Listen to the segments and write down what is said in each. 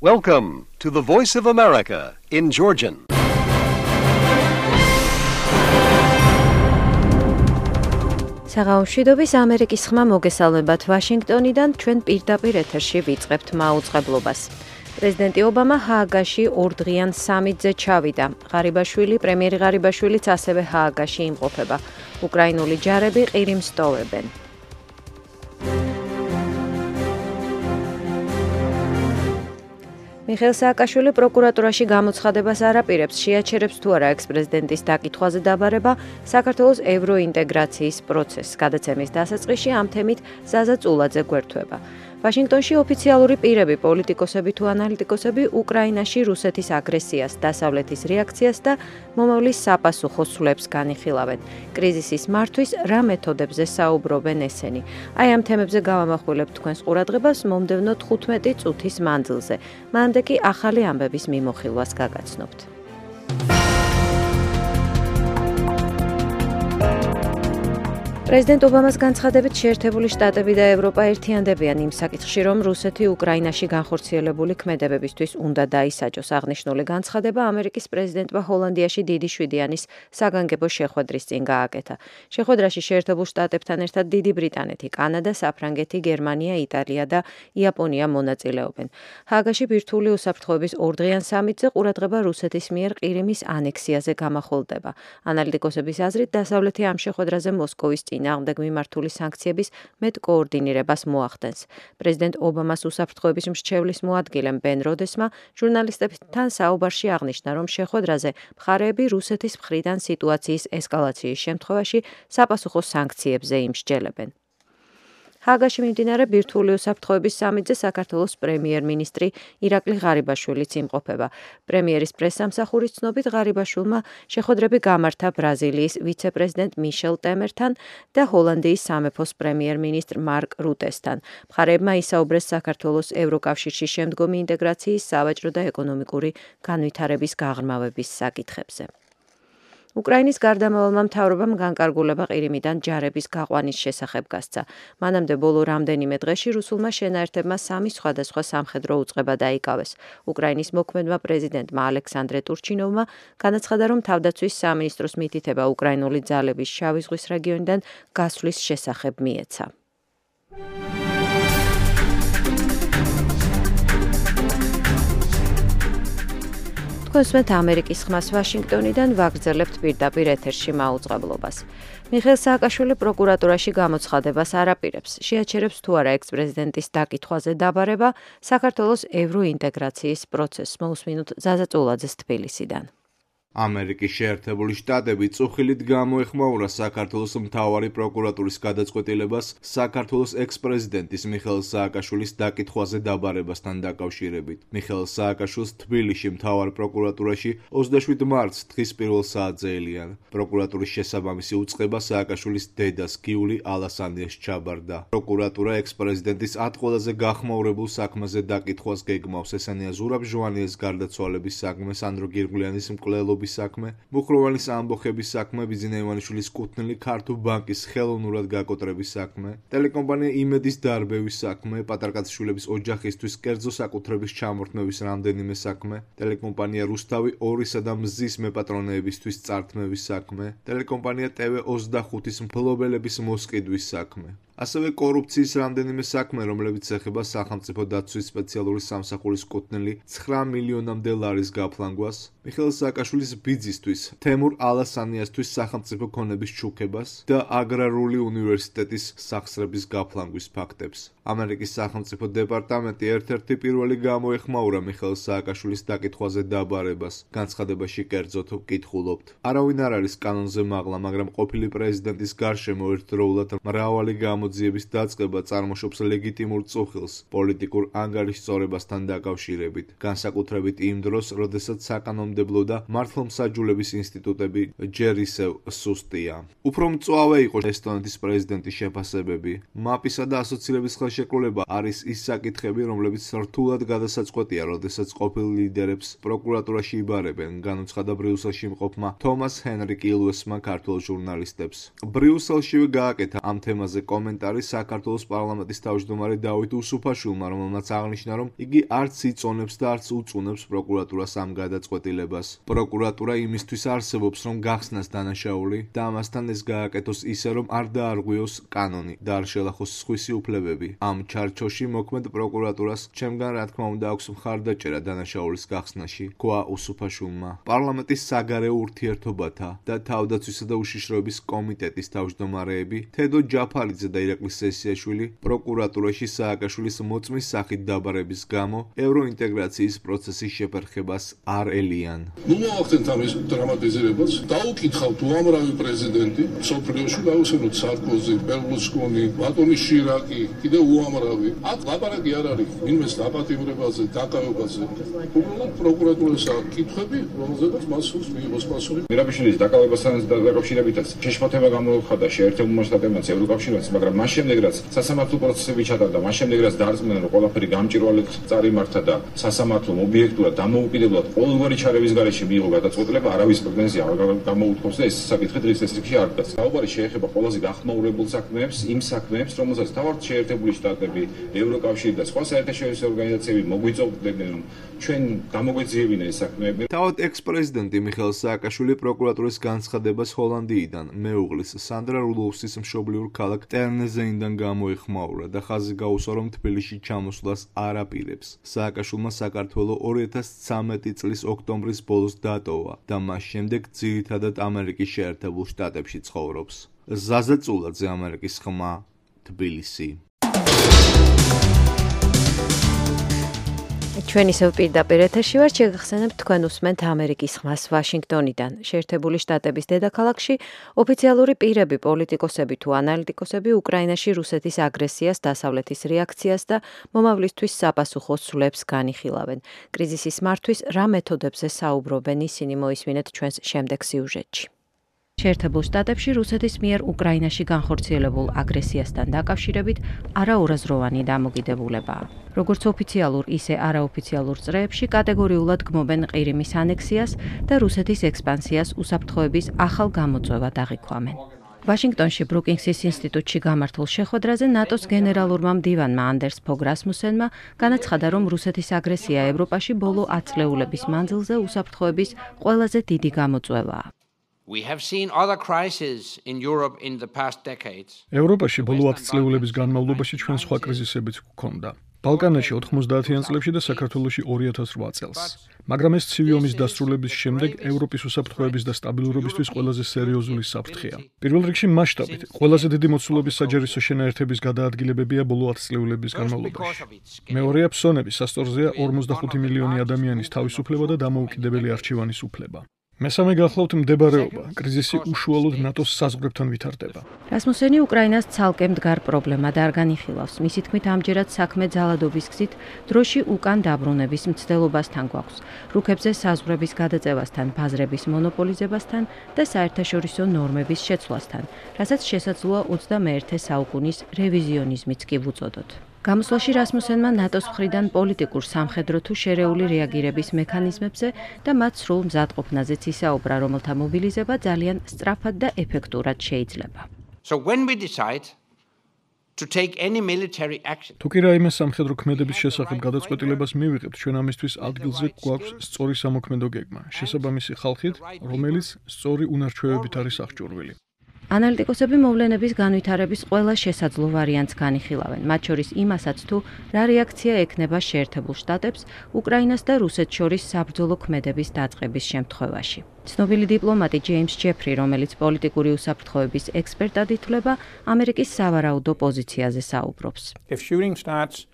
Welcome to the Voice of America in Georgian. საღამომშვიდობის ამერიკის ხმა მოგესალმებათ ვაშინგტონიდან ჩვენ პირდაპირ ეთერში ვიწყებთ მაუწყებლობას. პრეზიდენტი ობამა ჰააგაში ორდღიან სამიტზე ჩავიდა. პრემიერი ღარიბაშვილიც ასევე ჰააგაში იმყოფება. უკრაინული ჯარები ყირიმს ტოვებენ. მიხეილ სააკაშვილი პროკურატურაში გამოცხადებას არ აპირებს, შეაჩერებს თუ არა ექს-პრეზიდენტის დაკითხვაზე დაბარება საქართველოს ევროინტეგრაციის პროცესს. გადაცემის დასაწყისში ამ თემით ზაზა წულაძე გვერდება. ვაშინგტონში ოფიციალური პირები, პოლიტიკოსები თუ ანალიტიკოსები უკრაინაში რუსეთის აგრესიას, დასავლეთის რეაქციას და მომავლის საპასუხო სვლებს განიხილავენ. კრიზისის მართვის რა მეთოდებზე საუბრობენ ესენი? აი ამ თემებზე გავამახვილებთ თქვენს ყურადღებას მომდევნო 15 წუთის მანძილზე. მანამდე კი ახალი ამბების მიმოხილვას გაგაცნობთ. პრეზიდენტ ობამას განცხადებით შეერთებული შტატები და ევროპა ერთიანდებიან იმ საკითხში, რომ რუსეთი უკრაინაში განხორციელებული ქმედებებისთვის უნდა დაისაჯოს. აღნიშნული განცხადება ამერიკის პრეზიდენტმა ჰოლანდიაში დიდი შვიდიანის საგანგებო შეხვედრის წინ გააკეთა. შეხვედრაში შეერთებულ შტატებთან ერთად დიდი ბრიტანეთი, კანადა, საფრანგეთი, გერმანია, იტალია და იაპონია მონაწილეობენ. ჰააგაში ბირთვული უსაფრთხოების ორდღიან სამიტზე ყურადღება რუსეთის მიერ ყირიმის ანექსიაზე გამახვილდება. ანალიტიკოსების აზრით, დასავლეთი ამ შეხვედრაზე მოსკოვის წინააღმდეგ მიმართული სანქციების მეტ კოორდინირებას მოახდენს. პრეზიდენტ ობამას უსაფრთხოების მრჩევლის მოადგილემ ბენ როდესმა ჟურნალისტებთან საუბარში აღნიშნა, რომ შეხვედრაზე მხარეები რუსეთის მხრიდან სიტუაციის ესკალაციის შემთხვევაში საპასუხო სანქციებზე იმსჯელებენ. ჰააგაში მიმდინარე ბირთვული უსაფრთხოების სამიტზე საქართველოს პრემიერ-მინისტრი ირაკლი ღარიბაშვილიც იმყოფება. პრემიერის პრესსამსახურის ცნობით ღარიბაშვილმა შეხვედრები გამართა ბრაზილიის ვიცე-პრეზიდენტ მიშელ ტემერთან და ჰოლანდიის სამეფოს პრემიერ-მინისტრ მარკ რუტესთან. მხარეებმა ისაუბრეს საქართველოს ევროკავშირში შემდგომი ინტეგრაციის, სავაჭრო და ეკონომიკური განვითარების გაღრმავების საკითხებზე. უკრაინის გარდამავალმა მთავრობამ განკარგულება ყირიმიდან ჯარების გაყვანის შესახებ გასცა. მანამდე ბოლო რამდენიმე დღეში რუსულმა შენაერთებმა 3 სხვადასხვა სამხედრო უწყება დაიკავეს. უკრაინის მოქმედმა პრეზიდენტმა ალექსანდრე ტურჩინოვმა განაცხადა, რომ თავდაცვის სამინისტროს მითითება უკრაინული ძალების შავი ზღვის რეგიონიდან გასვლის შესახებ მიეცა. თქვენსმეთ ამერიკის ხმას ვაშინგტონიდან ვაგრძელებთ პირდაპირ ეთერში მაუწყებლობას. მიხეილ სააკაშვილი პროკურატურაში გამოცხადებას არ აპირებს, შეაჩერებს თუ არა ექს-პრეზიდენტის დაკითხვაზე დაბარება საქართველოს ევროინტეგრაციის პროცესს. მოусმინოთ ზაზა წულაძეს თბილისიდან. ამერიკის შეერთებული შტატები წუხილით გამოეხმაურა საქართველოს მთავარი პროკურატურის გადაწყვეტილებას საქართველოს ექს-პრეზიდენტის მიხეილ სააკაშვილის დაკითხვაზე დაბარებასთან დაკავშირებით. მიხეილ სააკაშვილს თბილისში მთავარ პროკურატურაში 27 მარტს დღის პირველ საათზე ელიან. პროკურატურის შესაბამისი უწყება სააკაშვილის დედას გიული ალასანიას ჩაბარდა. პროკურატურა ექს-პრეზიდენტის 10 ყველაზე გახმაურებულ საქმეზე დაკითხვას გეგმავს. ესენია ზურაბ ჟვანიეს გარდაცვალების საქმე, სანდრო გირგვლიანის მკვლელობის საქმე, მუხროვანის ამბოხების საქმე, ბიძინა ივანიშვილის კუთვნილი ქართულ ბანკის ხელოვნურად გაკოტრების საქმე, ტელეკომპანია იმედის დარბევის საქმე, პატარკაციშვილების ოჯახისთვის კერძო საკუთრების ჩამორთმევის რამდენიმე საქმე, ტელეკომპანია რუსთავი 2-სა და მზის მეპატრონეებისთვის წართმევის საქმე, ტელეკომპანია TV25-ის მფლობელების მოსყიდვის საქმე. ასევე კორუფციის რამდენიმე საქმე, რომლებიც ეხება სახელმწიფო დაცვის სპეციალური სამსახურის კუთვნილი 9 მილიონამდე ლარის გაფლანგვას, მიხეილ სააკაშვილის ბიძისთვის, თემურ ალასანიასთვის სახელმწიფო ქონების ჩუქებას და აგრარული უნივერსიტეტის სახსრების გაფლანგვის ფაქტებს. ამერიკის სახელმწიფო დეპარტამენტი ერთ-ერთი პირველი გამოეხმაურა მიხეილ სააკაშვილის დაკითხვაზე დაბარებას. განცხადებაში კერძოდ ვკითხულობთ. არავინ არ არის კანონზე მაღლა, მაგრამ ყოფილი პრეზიდენტის გარშემო ერთდროულად მრავალი გამოძიების დაწყება წარმოშობს ლეგიტიმურ წუხილს პოლიტიკურ ანგარიშწორებასთან დაკავშირებით. განსაკუთრებით იმ დროს, როდესაც საკანონმდებლო და მართლმსაჯულების ინსტიტუტები ჯერ ისევ სუსტია. უფრო მწვავე იყო ესტონეთის პრეზიდენტის შეფასებები. მაპისა და ასოცირების ხელშეკრულება არის ის საკითხები, რომლებიც რთულად გადასაწყვეტია, როდესაც ყოფილ ლიდერებს პროკურატურაში იბარებენ, განუცხადა ბრიუსელში მყოფმა თომას ჰენრი კილუესმა ქართულ ჟურნალისტებს. ბრიუსელშივე გააკეთა ამ თემაზე კომენტარი საქართველოს პარლამენტის თავმჯდომარე დავით უსუფაშვილმა, რომელმაც აღნიშნა, რომ იგი არც იწონებს და არც უწუნებს პროკურატურას ამ გადაწყვეტილებას. პროკურატურა იმისთვის არსებობს, რომ გახსნას დანაშაული და ამასთან ეს გააკეთოს ისე, რომ არ დაარღვიოს კანონი და არ შელახოს სხვისი უფლებები. ამ ჩარჩოში მოქმედ პროკურატურას ჩემგან რა თქმა უნდა აქვს მხარდაჭერა დანაშაულის გახსნაში, თქვა უსუფაშვილმა. პარლამენტის საგარეო ურთიერთობათა და თავდაცვისა და უშიშროების კომიტეტის თავმჯდომარეები თედო ჯაფალიძე და ირაკლი სესიაშვილი პროკურატურაში სააკაშვილის მოწმის სახით დაბარების გამო ევროინტეგრაციის პროცესის შეფერხებას არ ელიან. მოახდენთ ამის დრამატიზირებას, დაუკითხავთ უამრავი პრეზიდენტი, სოფლიოში გავუსვენოთ სარკოზი, ბერლუსკონი, ბატონი შირაკი, კიდევ უამრავი. აქ ლაპარაკი არ არის ვინმეს დაპატიმრებაზე, დაკავებაზე. უბრალოდ პროკურატურის კითხვები, რომელზედაც მას სურს მიიღოს პასუხი. მირაბიშვილის დაკავებასთან დაკავშირებითაც შეშფოთება გამოუხდა შეერთებულ შტატებმაც, ევროკავშირმაც, მაგრამ მას შემდეგ რაც სასამართლო პროცესები ჩატარდა, მას შემდეგ რაც დაარწმუნა, რომ ყველაფერი გამჭვირვალედ წარიმართა და სასამართლომ ობიექტურად დამოუკიდებლად ყოველგვარი ჩარევის გარეშე მიიღო გადაწყვეტილება, არავის პრეტენზია არ გამოუთხოვს და ეს საკითხი დღის წესრიგში არ დგას. საუბარი შეეხება ყველაზე გახმაურებულ საქმეებს, იმ საქმეებს, რომელსაც თავად შეერთებული შტატები, ევროკავშირი და სხვა საერთაშორისო ორგანიზაციები მოგვიწევდნენ, რომ ჩვენ გამოგვეძიებინა ეს საქმეები. თავად ექს-პრეზიდენტი მიხეილ სააკაშვილი პროკურატურის განცხადებას ჰოლანდიიდან მეუღლის სანდრა რუდოლფსის მშობლიურ ქალაქ ტერნეზეინიდან გამოეხმაურა და ხაზი გაუსვა, რომ თბილისში ჩამოსვლას არ აპირებს. სააკაშვილმა საქართველო 2013 წლის ოქტომბრის ბოლოს დატოვა და მას შემდეგ ძირითადად ამერიკის შეერთებულ შტატებში ცხოვრობს. ზაზა წულაძე, ამერიკის ხმა, თბილისი. ჩვენ ისევ პირდაპირ ეთერში ვართ, შეგახსენებთ თქვენ უსმენთ ამერიკის ხმას ვაშინგტონიდან. შეერთებული შტატების დედაქალაქში ოფიციალური პირები, პოლიტიკოსები თუ ანალიტიკოსები უკრაინაში რუსეთის აგრესიას, დასავლეთის რეაქციას და მომავლისთვის საპასუხო ცვლებს განიხილავენ. კრიზისის მართვის რა მეთოდებზე საუბრობენ, ისინი მოისმინეთ ჩვენს შემდეგ სიუჟეტში. შეერთებულ შტატებში რუსეთის მიერ უკრაინაში განხორციელებულ აგრესიასთან დაკავშირებით არაურაზროვანი დამოკიდებულებაა. როგორც ოფიციალურ, ისე არაოფიციალურ წრეებში კატეგორიულად გმობენ ყირიმის ანექსიას და რუსეთის ექსპანსიას უსაფრთხოების ახალ გამოწვევად აღიქვამენ. ვაშინგტონში ბრუკინგსის ინსტიტუტში გამართულ შეხვედრაზე ნატოს გენერალურმა მდივანმა ანდერს ფოგ რასმუსენმა განაცხადა, რომ რუსეთის აგრესია ევროპაში ბოლო 10 წლეულების მანძილზე უსაფრთხოების ყველაზე დიდი გამოწვევაა. ევროპაში ბოლო 10 წლეულების განმავლობაში ჩვენ სხვა კრიზისებიც გვქონდა. ბალკანეთში 90-იან წლებში და საქართველოში 2008 წელს. მაგრამ ეს ცივი ომის დასრულების შემდეგ ევროპის უსაფრთხოების და სტაბილურობისთვის ყველაზე სერიოზული საფრთხეა. პირველ რიგში მასშტაბით, ყველაზე დიდი მოცულობის საჯარისო შენაერთების გადაადგილებებია ბოლო 10 წლეულების განმავლობაში. მეორეა ფსონები, სასწორზეა 45 მილიონი ადამიანის თავისუფლება და დამოუკიდებელი არჩევანის უფლება. მესამე გახლავთ მდებარეობა. კრიზისი უშუალოდ ნატოს საზღვრებთან ვითარდება. რასმუსენი უკრაინას ცალკე მდგარ პრობლემად არ განიხილავს. მისი თქმით, ამჯერად საქმე ძალადობის გზით დროში უკან დაბრუნების მცდელობასთან გვაქვს. რუქებზე საზღვრების გადაწევასთან, ბაზრების მონოპოლიზებასთან და საერთაშორისო ნორმების შეცვლასთან, რასაც შესაძლოა 21 საუკუნის რევიზიონიზმიც კი ვუწოდოთ. გამოსვლაში რასმუსენმა ნატოს მხრიდან პოლიტიკურ, სამხედრო თუ შერეული რეაგირების მექანიზმებზე და მათ სრულ მზადყოფნაზეც ისაუბრა, რომელთა მობილიზება ძალიან სწრაფად და ეფექტურად შეიძლება. თუ კი რაიმე სამხედრო ქმედების შესახებ გადაწყვეტილებას მივიღებთ, ჩვენ ამისთვის ადგილზე გვაქვს სწორი სამოქმედო გეგმა, შესაბამისი ხალხით, რომელიც სწორი უნარჩვევებით არის აღჭურვილი. ანალიტიკოსები მოვლენების განვითარების ყველა შესაძლო ვარიანტს განიხილავენ, მათ შორის იმასაც თუ რა რეაქცია ექნება შეერთებულ შტატებს უკრაინას და რუსეთს შორის საბრძოლო ქმედების დაწყების შემთხვევაში. ცნობილი დიპლომატი ჯეიმს ჯეფრი, რომელიც პოლიტიკური უსაფრთხოების ექსპერტად ითვლება, ამერიკის სავარაუდო პოზიციაზე საუბრობს.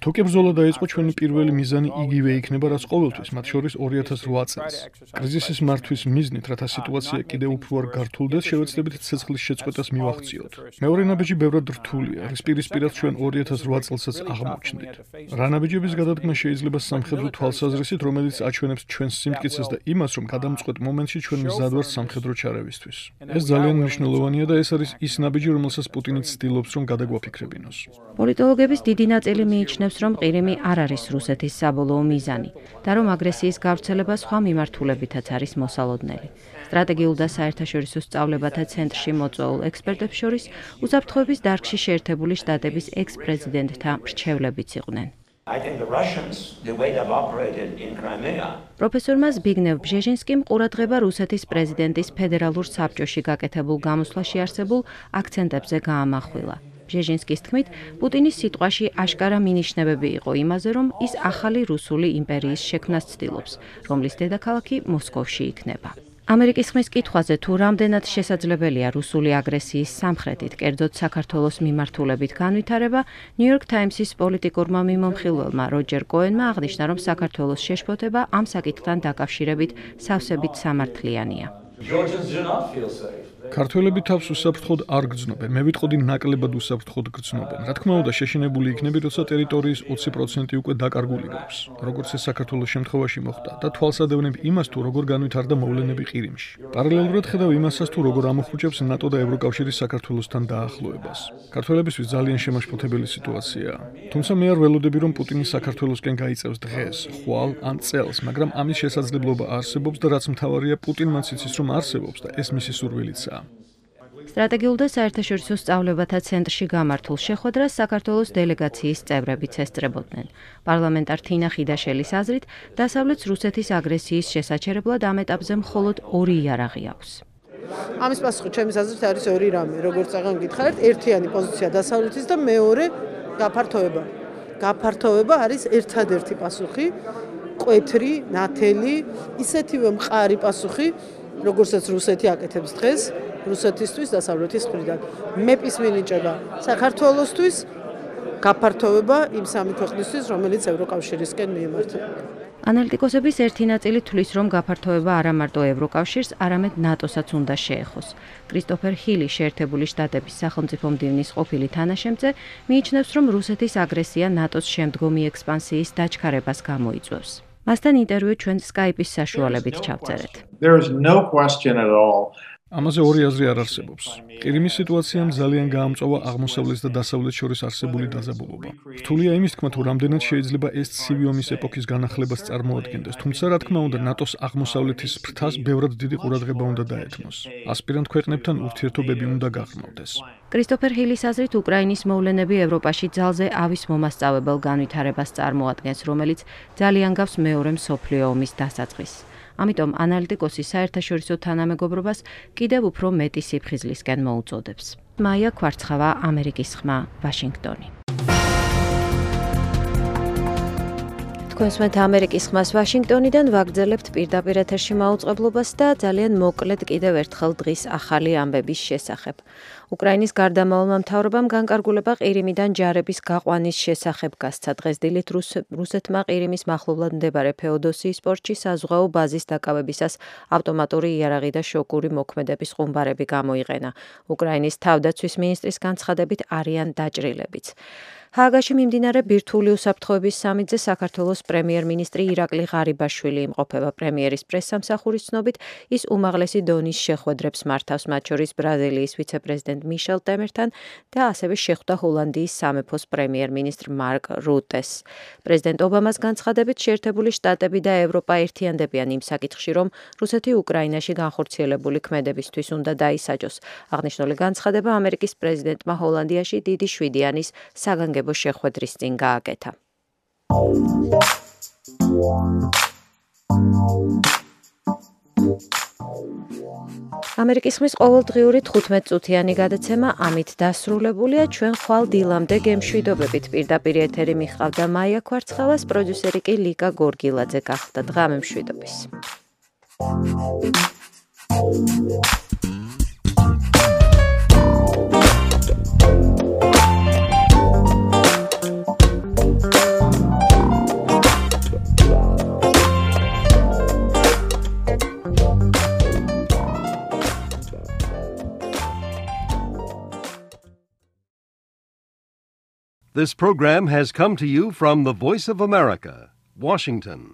თუ კი ბრძოლა დაიწყო, ჩვენი პირველი მიზანი იგივე იქნება, რაც ყოველთვის, მათ შორის 2008 წელს. კრიზისის მართვის მიზნით, რათა სიტუაცია კიდევ უფრო არ გართულდეს, შევეცდებით ცეცხლის შეწყვეტას მივახციოთ. მეორე ნაბიჯი ბევრად რთულია, რის პირისპირად ჩვენ 2008 წელსაც აღმოჩნდით. რა ნაბიჯების გადადგმა შეიძლება სამხედრო თვალსაზრისით, რომელიც აჩვენებს ჩვენს სიმტკიცეს და იმას, რომ გადამწყვეტ მომენტში ჩვენ მზად ვართ სამხედრო ჩარევისთვის. ეს ძალიან მნიშვნელოვანია და ეს არის ის ნაბიჯი, რომელსაც პუტინიც ცდილობს, რომ გადაგვაფიქრებინოს. პოლიტოლოგების დიდი ნაწილი მიიჩნევს, რომ ყირიმი არ არის რუსეთის საბოლოო მიზანი და რომ აგრესიის გავრცელება სხვა მიმართულებითაც არის მოსალოდნელი. სტრატეგიულ და საერთაშორისო სწავლებათა ცენტრში მოწვეულ ექსპერტებს შორის უსაფრთხოების დარგში შეერთებული შტატების ექს-პრეზიდენტთა მრჩევლებიც იყვნენ. პროფესორმა ზბიგნევ ბჟეჟინსკიმ ყურადღება რუსეთის პრეზიდენტის ფედერალურ საბჭოში გაკეთებულ გამოსვლაში არსებულ აქცენტებზე გაამახვილა. ბჟეჟინსკის თქმით, პუტინის სიტყვაში აშკარა მინიშნებები იყო იმაზე, რომ ის ახალი რუსული იმპერიის შექმნას ცდილობს, რომლის დედაქალაქი მოსკოვში იქნება. ამერიკის ხმის კითხვაზე თუ რამდენად შესაძლებელია რუსული აგრესიის სამხრეთით, კერძოდ საქართველოს მიმართულებით განვითარება, New York Times-ის პოლიტიკურმა მიმომხილველმა როჯერ კოენმა აღნიშნა, რომ საქართველოს შეშფოთება ამ საკითხთან დაკავშირებით სავსებით სამართლიანია. ქართველები თავს უსაფრთხოდ არ გრძნობენ. მე ვიტყოდი ნაკლებად უსაფრთხოდ გრძნობენ. რა თქმა უნდა, შეშინებული იქნები, როცა ტერიტორიის 20% უკვე დაკარგული გვაქვს, როგორც ეს საქართველოს შემთხვევაში მოხდა და თვალსადევნებ იმას, თუ როგორ განვითარდა მოვლენები ყირიმში. პარალელურად ხედავ იმასაც, თუ როგორ ამოხუჭებს ნატო და ევროკავშირი საქართველოსთან დაახლოებას. ქართველებისთვის ძალიან შემაშფოთებელი სიტუაციაა. თუმცა მე არ ველოდები, რომ პუტინი საქართველოსკენ გაიწევს დღეს, ხვალ ან წელს, მაგრამ ამის შესაძლებლობა არსებობს და რაც მთავარია, პუტინმაც იცის, რომ არსებობს და ეს მისი სურვილიცაა. სტრატეგიულ და საერთაშორისო სწავლებათა ცენტრში გამართულ შეხვედრას საქართველოს დელეგაციის წევრებიც ესწრებოდნენ. პარლამენტარ თინა ხიდაშელის აზრით, დასავლეთს რუსეთის აგრესიის შესაჩერებლად ამ ეტაპზე მხოლოდ ორი იარაღი აქვს. ამის პასუხი ჩემის აზრით არის ორი რამე, როგორც აღარ გითხარით, ერთიანი პოზიცია დასავლეთის და მეორე გაფართოება. გაფართოება არის ერთადერთი პასუხი, კვეთრი, ნათელი, ისეთივე მყარი პასუხი, როგორცაც რუსეთი აკეთებს დღეს, რუსეთისთვის დასავლეთის მხრიდან. მეპის მინიჭება საქართველოსთვის, გაფართოება იმ სამი ქვეყნისთვის, რომელიც ევროკავშირისკენ მიემართება. ანალიტიკოსების ერთი ნაწილი თვლის, რომ გაფართოება არა მარტო ევროკავშირს, არამედ ნატოსაც უნდა შეეხოს. კრისტოფერ ჰილი, შეერთებული შტატების სახელმწიფო მდივნის ყოფილი თანაშემწე, მიიჩნევს, რომ რუსეთის აგრესია ნატოს შემდგომი ექსპანსიის დაჩქარებას გამოიწვევს. მასთან ინტერვიუ ჩვენ Skype-ის საშუალებით ჩავწერეთ. ამაზე ორი აზრი არ არსებობს. ყირიმის სიტუაციამ ძალიან გაამწვავა აღმოსავლეთს და დასავლეთს შორის არსებული დაძაბულობა. რთულია იმის თქმა, თუ რამდენად შეიძლება ეს ცივი ომის ეპოქის განახლებას წარმოადგენდეს, თუმცა რა თქმა უნდა, ნატოს აღმოსავლეთის ფრთას ბევრად დიდი ყურადღება უნდა დაეთმოს. ასპირანტ ქვეყნებთან ურთიერთობები უნდა გაღრმავდეს. კრისტოფერ ჰილის აზრით, უკრაინის მოვლენები ევროპაში ძალზე ავის მომასწავებელ განვითარებას წარმოადგენს, რომელიც ძალიან გავს მეორე მსოფლიო ომის დასაწყისს. ამიტომ ანალიტიკოსი საერთაშორისო თანამეგობრობას კიდევ უფრო მეტი სიფხიზლისკენ მოუწოდებს. მაია კვარცხავა, ამერიკის ხმა, ვაშინგტონი. თქვენსმენთ ამერიკის ხმას ვაშინგტონიდან ვაგრძელებთ პირდაპირ ეთერში მაუწყებლობას და ძალიან მოკლედ კიდევ ერთხელ დღის ახალი ამბების შესახებ. უკრაინის გარდამავალმა მთავრობამ განკარგულება ყირიმიდან ჯარების გაყვანის შესახებ გასცა. დღეს დილით რუსეთმა ყირიმის მახლობლად მდებარე ფეოდოსიის პორტში საზღვაო ბაზის დაკავებისას ავტომატური იარაღი და შოკური მოქმედების ხუმბარები გამოიყენა. უკრაინის თავდაცვის მინისტრის განცხადებით არიან დაჭრილებიც. ჰააგაში მიმდინარე ბირთვული უსაფრთხოების სამიტზე საქართველოს პრემიერ-მინისტრი ირაკლი ღარიბაშვილი იმყოფება. პრემიერის პრესსამსახურის ცნობით, ის უმაღლესი დონის შეხვედრებს მართავს, მათ შორის ბრაზილიის ვიცე-პრეზიდენტ მიშელ ტემერთან და ასევე შეხვდა ჰოლანდიის სამეფოს პრემიერ-მინისტრ მარკ რუტეს. პრეზიდენტ ობამას განცხადებით, შეერთებული შტატები და ევროპა ერთიანდებიან იმ საკითხში, რომ რუსეთი უკრაინაში განხორციელებული ქმედებისთვის უნდა დაისაჯოს. აღნიშნული განცხადება ამერიკის პრეზიდენტმა ჰოლანდიაში დიდი შვიდიანის საგანგებო შეხვედრის წინ გააკეთა. ამერიკის ხმის ყოველდღიური 15 წუთიანი გადაცემა ამით დასრულებულია. ჩვენ ხვალ დილამდე გემშვიდობებით. პირდაპირ ეთერი მიხავდა მაია კვარცხავას, პროდიუსერი კი ლიკა გორგილაძე გახდა. დღამე მშვიდობის. This program has come to you from the Voice of America, Washington.